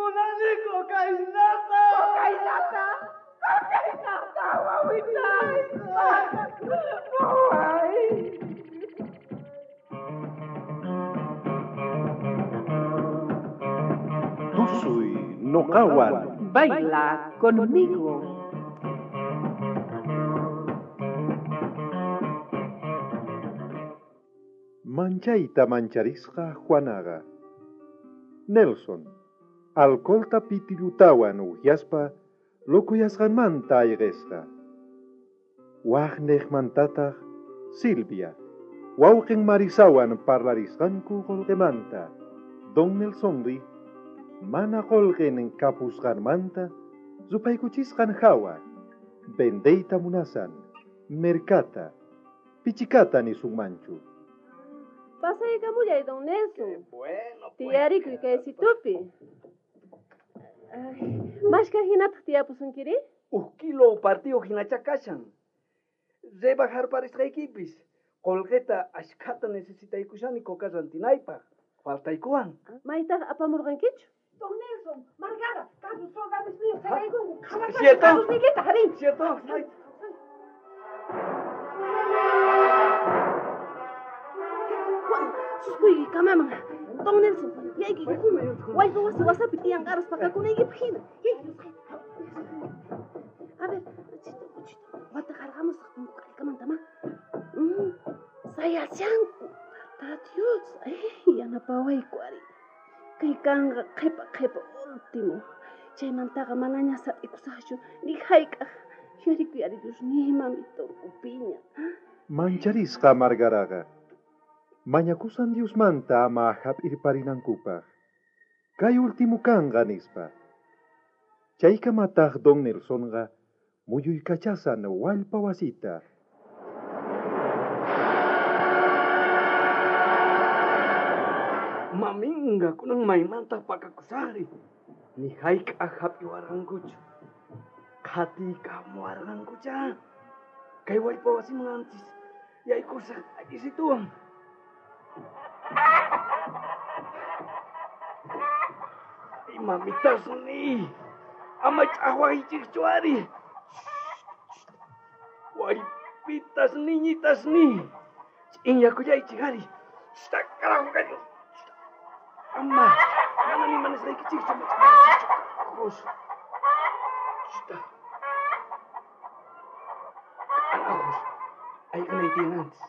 Munani cocainata. Cocainata. Cocainata, wawitay. Waway. Tusuy noqawan. Baila conmigo. Manchayta mancharisqa Juanaqa. Nelson, alcoholta pitilutawan uhyaspa lokuyasqanmanta ayqisqa. Waj niqmantataq Silvia, wawqin Marisawan parlarisqanku qullqimanta. Don Nelsonri mana qullqin kapusqanmanta rupaykuchisqan hawa vendeyta munasan merkata pichikata nisunmanchu. Pasaykamullay, don Nelson. Bueno, pues. Tiyarikuy kaysitupi. Ay, Mashka hinataq tiyapusunkiri? Uj kilo partido hinacha kashan. Rebajarparisqaykipis. Qolqeta ashkhata necesitaykushani coca rantinaypaq. Faltaykuwan. Maytaq apamurqankichu? Don Nelson, Margara, Carlos soldadosniyuq chayaykunku. Cierto. Carlosniykita, harin. ¿Cierto? Ay. Juan, suskuyki kamaman. Don Nelson, yayki ukhuman. Wallpa wasi wasapi tiyan qaras pakakunaykipaq hina. Yayki, A ver, chito, chito. Wata qarqamusaq punku k'arikamanta, ma. Sayashanku. Tata Dios, ay, yanapawayku ari. Kay kanqa qhipa qhipa último. Chaymantaqa manaña sat'ikusaqchu ni hayk'aq. Yuyarikuy ari Dios ni mamito upiña. Mancharisqa Margaraqa. Mañakusan Diosmanta ama hap'irparinankupaq. Kay último kanqa nispa. Chaykamataq Don Nelsonqa muyuykachasan wallpa wasita. Maminga, kunan maymanta pakakusaqri. Ni hayk'aq hap'iwarqankuchu. Qhatiykamuwarqankucha. Kay wallpa wasiman antis yaykusaq akisituwan. Ay, mamitasni. Ama ch'aqwaychikchu ari. Wallpitas niñitasni. Ch'inyakullaychik ari. Carajo, gallo. Ama, mana ni manisqaykichikchu, mach'aqwaychikchu. Carajos. Ayqinay tiyan antes.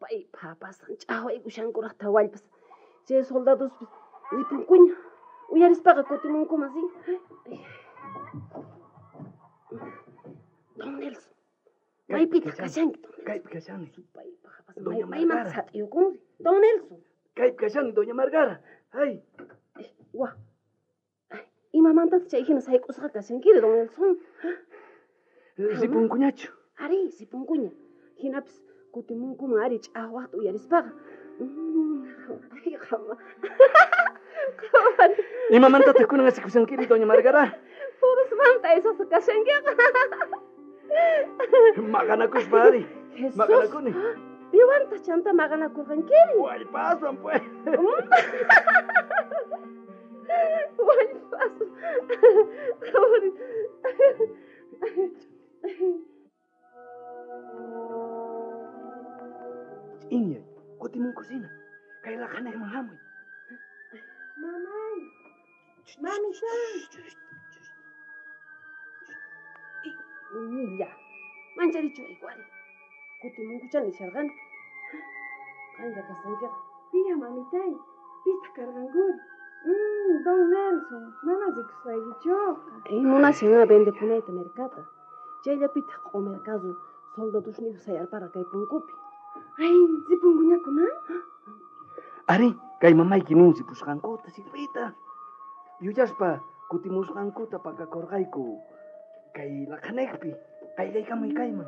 Pay papasan ch'aqwaykushankuraqta wallpas. Chay soldadospis ripunkuña. Uyarispaqa kutimunkuman, sí. Don Nelson, maypitaq kashanki, Don Nelson? Kaypi kashani. Pay papasan, Doña maymanta Margara. sat'iyukunri? Don Nelson. Kaypi kashani, doña Margara. Ay, Wa. Ay, imamantataq chay hina sayk'usqa kashankiri, Don Nelson? ripunkuñachu. Ari, ripunkuña. Hinapis kutimunkuman ari ch'aqwaqta uyarispaqa. Ay, qhama. Qhama. Imamantataq kunan asikushankiri, doña Margara? Purusmanta aysasqa kashankiqa. Maqanakuspa ari. Jesús. Maqanakuni. Piwantaq chanta maqanakurqankiri? Wallpaswan, pues. Wallpas. Ch'inyay, kutimunkusina. Kay laqhanayman hamuy. Mamay. Mamita. Milla. Mancharichuwayku ari. Kutimunkucha nisharqani. Qanlla kasqankiqa. Piya, mamitay, pitaq karqankuri? Don Nelson, mana rikusqaykichuqa. Ay, munashan vendepunayta merkata. Chayllapitaq q'umerkazu soldadosniyuq sayarparqa kay punkupi. Ay, ripunkuñakuna? Ari, kay mamayki nin ripusqankuta, Silvita. Yuyaspa kutimusqankuta pakakurqayku. Kay laqhanaypi, qayllaykamuy kayman.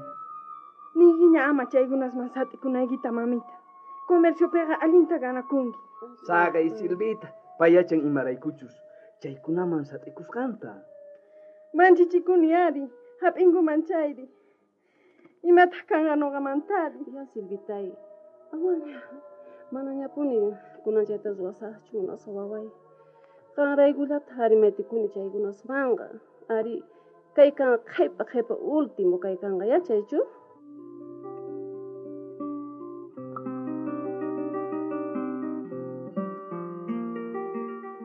Niykiña ama chaykunasman sat'ikunaykita, mamita. Comerciopiqa allinta ganakunki. Saqay, Silvita, pay yachan imaraykuchus chaykunaman sat'ikusqanta. Manchichikuni ari, hap'inkuman chayri. Imataq kanqa noqamantari? Ya, Silvitay, amaña, manañapuni kunan chayta ruwasaqchu, munasqa waway. Qanraykullata ari metikuni chaykunaswanqa. Ari, kay kanqa qhepa qhepa último kay kanqa, yachaychu?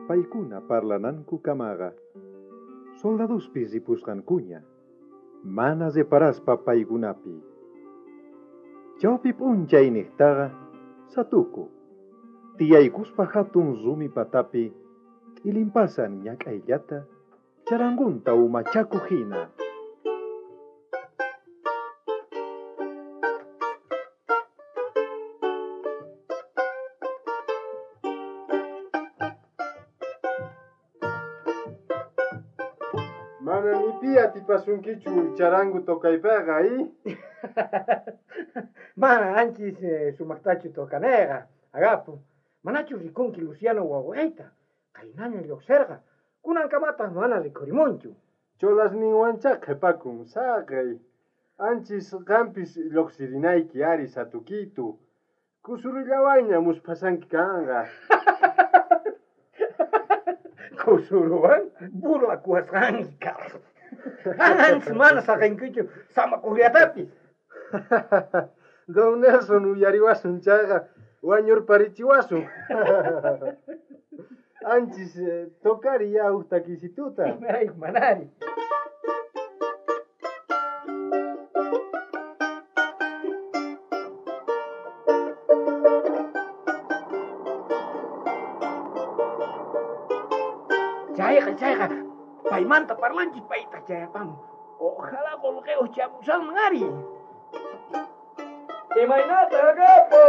Paykuna parlanankukamaqa soldadospis ripusqankuña, mana reparaspa paykunapi. Chawpi p'unchay niqtaqa satuku, tiyaykuspa hatun rumi patapi t'ilinpasan ñak'ayllata charangunta umachakuq hina. Mana ni pi atipasunkichu charango tocaypeqa, ¿eh? Mana anchis sumaqtachu tocanega, agapo. Manachu rikunki Luciano wawayta. Qaynaña lluqsirqa. Kunankamataq mana rikhurimunchu. Cholasninwanchá qhipakun, saqey. Anchis qampis lluqsirinayki ari satukitu. Kusurullawanña musphasanki kanqa. Kusuruwan burlakuwasqanki, Carlos. Anchis mana saqinkichu samakuqllatapis. Don Nelson uyariwasun chayqa wañurparichiwasun. Anchis tocari ya huk takisituta. Imarayku manari. Chayqa, chayqa, paymanta parlanchis paytaq chayapamun. Ojalá qullqiyuq chamusanman ari. Imaynata Agapo,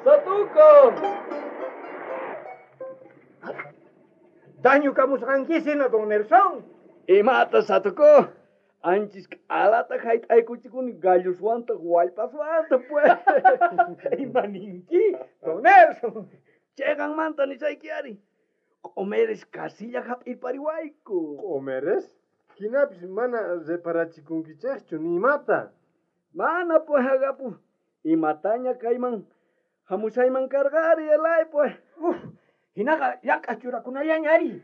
Satuko. Daño kamusqankisina, don Nelson. Imata Satuko? Anchis k'alata hayt'aykuchikuni galloswantaq wallpaswanta pues. Ima ninki, don Nelson? Chayqanmanta nisayki ari. Q'umeres kasilla hap'irpariwayku. Q'umeres? Hinapis mana reparachikunkichikchu ni imata. Mana pues Agapo. Imataña kayman hamushayman karqari elay pues. Uf, hinaqa llank'aq churakunallaña ari.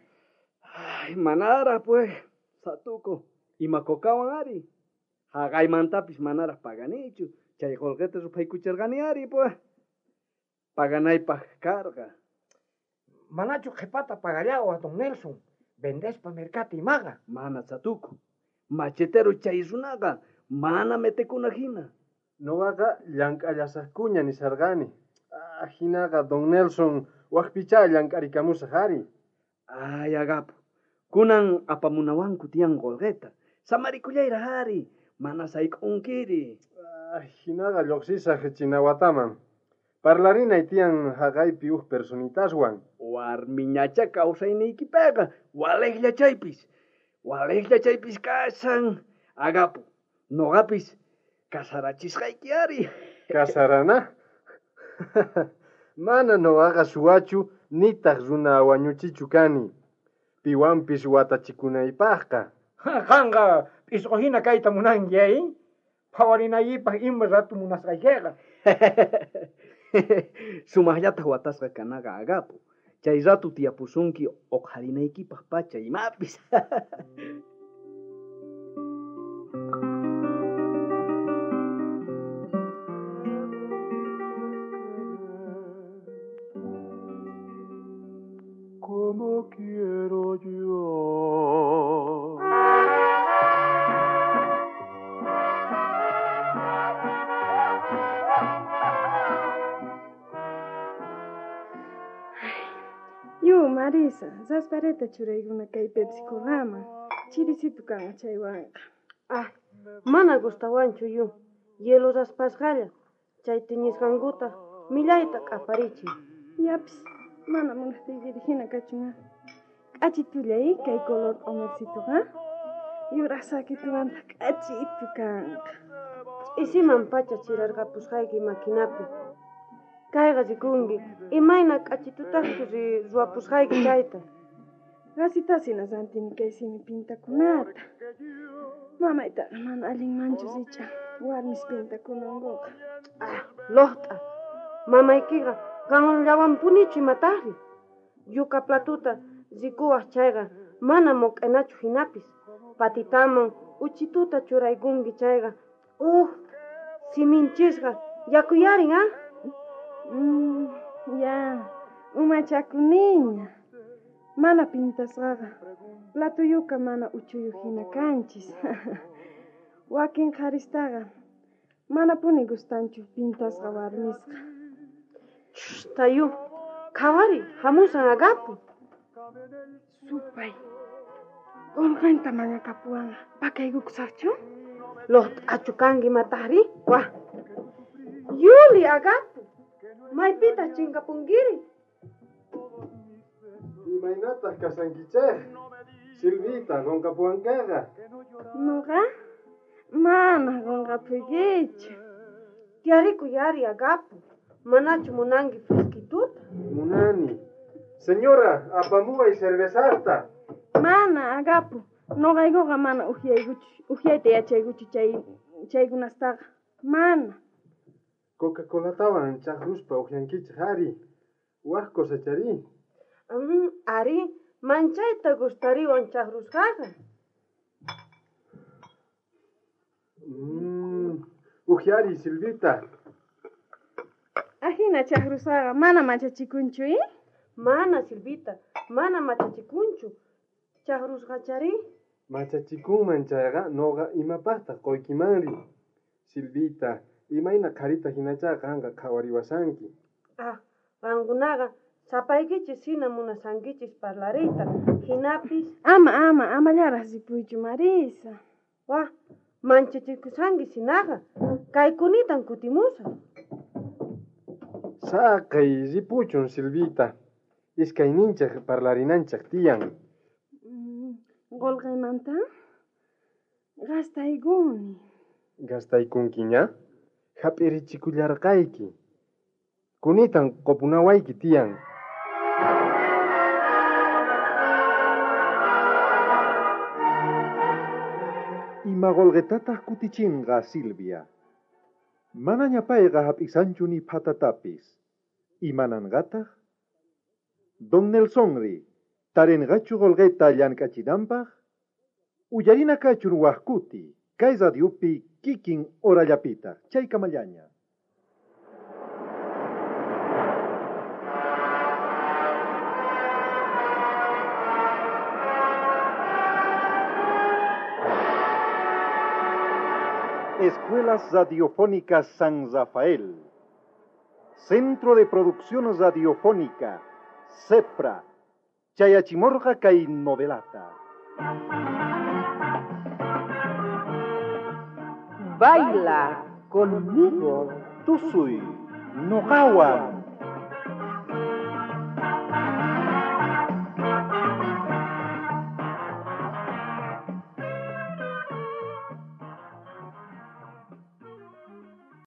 Ay, manaraq pues, Satuko, ima cocawan ari. Haqaymantapis manaraq paganichu. Chay qullqita ruphaykuchirqani ari pues. Paganaypaq karqa. Manachu qhipata pagallawa, don Nelson. Vendespa mercata imaqa. Mana Satuko. Machetero chay runaqa mana metekuna hina. Noqaqa llank'allasaqkuña nisarqani. Ah, hinaqa don Nelson waqpichá llank'arikamusaq ari. Ay, Agapo. Kunan apamunawanku tiyan qullqita. Samarikullayraq ari. Mana sayk'unkiri. Ah, hinaqa lluqsisaq Chinawataman. Parlarinay tiyan haqaypi huk personitaswan. Warmiñacha kawsayniykipiqa waliqlla chaypis. Waliqlla chaypis kashan. Agapo, noqapis kasarachisqayki ari. Kasarana? Mana noqaqa suwachu nitaq runa wañuchichu kani. Piwanpis watachikunaypaqqa. Qanqa p'isqu hina kayta munanki, eh? Phawarinaypaq ima rato munasqaykiqa. Sumaqllataq watasqa kanaqa Agapo. Chay rato tiyapusunki uqharinaykipaq pacha imapis. Como quiero yo. Yu, Marisa, raspareta churaykuna kay Pepsi Colaman. Chirisitu kanqa chaywanqa. Ah, mana gustawanchu yu. Hielo raspasqalla. Chay tiñisqankuta millayta k'aparichin. Yapis, mana munaqtiykiri hina kachun. K'achitulla kay color q'umercituqa. Yuraq sakituwantaq k'achitu kanqa. Ch'isiman pacha chirarqapusqayki maquinapi. Kayqa rikunki, imayna k'achitutaqchu ruwapusqayki chayta. Qasitasina rantini kay simi pintakunata. Mamaytaqa mana allinmanchu rich'a warmis pintakunankuqa. Ah, loqt'a. Mamaykiqa qanllawanpunichu imataqri. Yuka platuta rikuwaq chayqa mana moq'enachu hinapis. Patitaman uchituta churaykunki chayqa uj siminchisqa yakuyarin, ah? Ya, umachakuniña. Mana pintasqaqa platuyuka mana uchuyuq hina kanchis. Wakin qharistaqa manapuni gustanchu pintasqa warmisqa. Tayu, qhawari, hamusan agapu. Supay, qolqenta mañakapuwanqa, pakaykukusaqchu? Loqt'achu kanki mataqri? Wah. Yuli agapu, maypitaq chinkapunkiri? Imaynataq kasankichej? Silvita, qonqapuwankaqa. Nuqa? Mana qonqapuykichu. Tiyarikuy ari agapu. Manachu munanki fresquituta? Munani. Señora, apamuway cervezasta. Mana, agapu. Noqaykuqa mana uhyaykuchu, uhyayta yachaykuchu chaykunastaqa. Mana. Coca-Colatawan chaqruspa uhyankichej ari. Waj cosechari. Ari, manchayta gustariwan chaqrusqaqa. Uhyari, Silvita. Ajina chaqrusqaqa mana machachikunchu, eh? Mana, Silvita, mana machachikunchu. Chaqrusqachari? Machachikunman chayqa noqa imapaqtaq qoykimanri. Silvita, imayna qharita hinacha qanqa qhawariwasanki. Ah, qankunaqa sapaykichis hina munasankichis parlariyta, hinapis... Ama, ama, amallaraq ripuychu, Marisa. Wah, manchachikusanki hinaqa, kaykunitan kutimusaq. Saqay ripuchun, Silvita. Iskayninchej parlarinanchej tiyan. Qolqeymanta gastaykuni. Gastaykunkiña? Hap'irichikullarqayki. Kunitan qopunawayki tiyan. Ima qolqetataq kutichinqa, Silvia. Manaña payqa hap'isanchu ni phatatapis. Imananqataq? Don Nelsonri, tarinqachu qolqeta llank'achinanpaq? Uyarina kachun wajkuti, kay radiopi kikin horallapitaq, chaykamallaña. Escuelas Radiofónicas San Rafael, Centro de Producción Radiofónica, CEPRA, Chayachimorga kay novelata. Baila conmigo. Tusuy, noqawan.